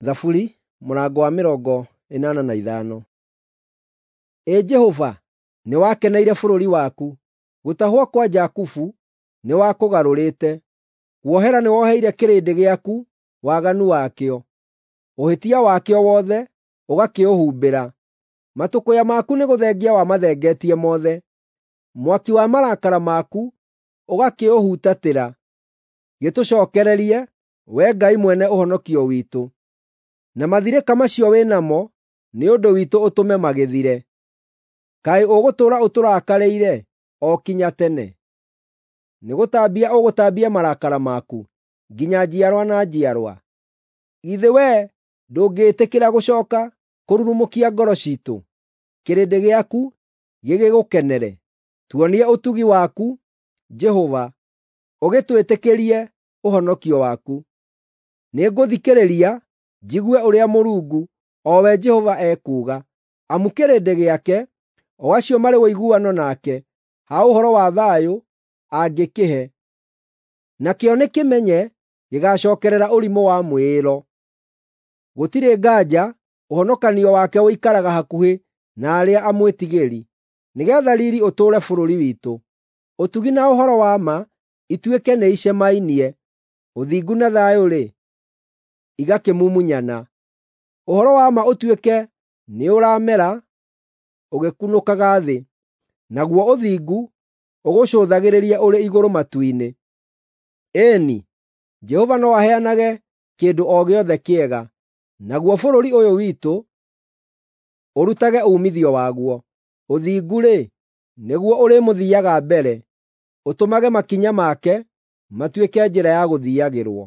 Thaburi mũrango wa 85. Ĩ Jehova, nĩwakeneire bũrũri waku, gũtahwo kwa Jakubu nĩwakũgarũrĩte. Kuohera nĩwoheire kĩrĩndĩ gĩaku waganu wakĩo, ũhĩtia wakĩo wothe ũgakĩũhumbĩra. Matũkũya maku nĩgũthengia wamathengetie mothe, mwaki wa marakara maku ũgakĩũhutatĩra. Gĩtũcookererie, Wee Ngai mwene ũhonokio witũ, na mathirĩka macio wĩ namo nĩ ũndũ witũ ũtũme magĩthire. Kaĩ ũgũtũũra ũtũrakarĩire o kinya tene? Nĩgũtambia ũgũtambia marakara maku nginya njiarwa na njiarwa? Githĩ wee ndũngĩĩtĩkĩra gũcooka kũrurumũkia ngoro ciitũ, kĩrĩndĩ gĩaku gĩgĩgũkenere? Tuonie ũtugi waku, Jehova, ũgĩtwĩtĩkĩrie ũhonokio waku. Nĩngũthikĩrĩria njigue ũrĩa Mũrungu, o we Jehova, ekuuga, amu kĩrĩndĩ gĩake, o acio marĩ ũiguano nake, ha ũhoro wa thayũ angĩkĩhe. Nakĩo nĩkĩmenye gĩgaacookerera ũrimũ wa mwĩĩro. Gũtirĩ nganja ũhonokanio wake ũikaraga hakuhĩ na arĩa amwĩtigĩri, nĩgeetha riiri ũtũũre bũrũri witũ. Ũtugi na ũhoro wa ma ituĩke nĩicemainie, ũthingu na thayũ-rĩ, igakĩmumunyana. Ũhoro wa ma ũtuĩke nĩũramera ũgĩkunũkaga thĩ, naguo ũthingu ũgũcũthagĩrĩrie ũrĩ igũrũ matu-inĩ. Ĩĩ-ni, Jehova no aheanage kĩndũ o gĩothe kĩega, naguo bũrũri ũyũ witũ ũrutage uumithio waguo. Ũthingu-rĩ, nĩguo ũrĩmũthiiaga mbere, ũtũmage makinya make matuĩke njĩra ya gũthiiagĩrwo.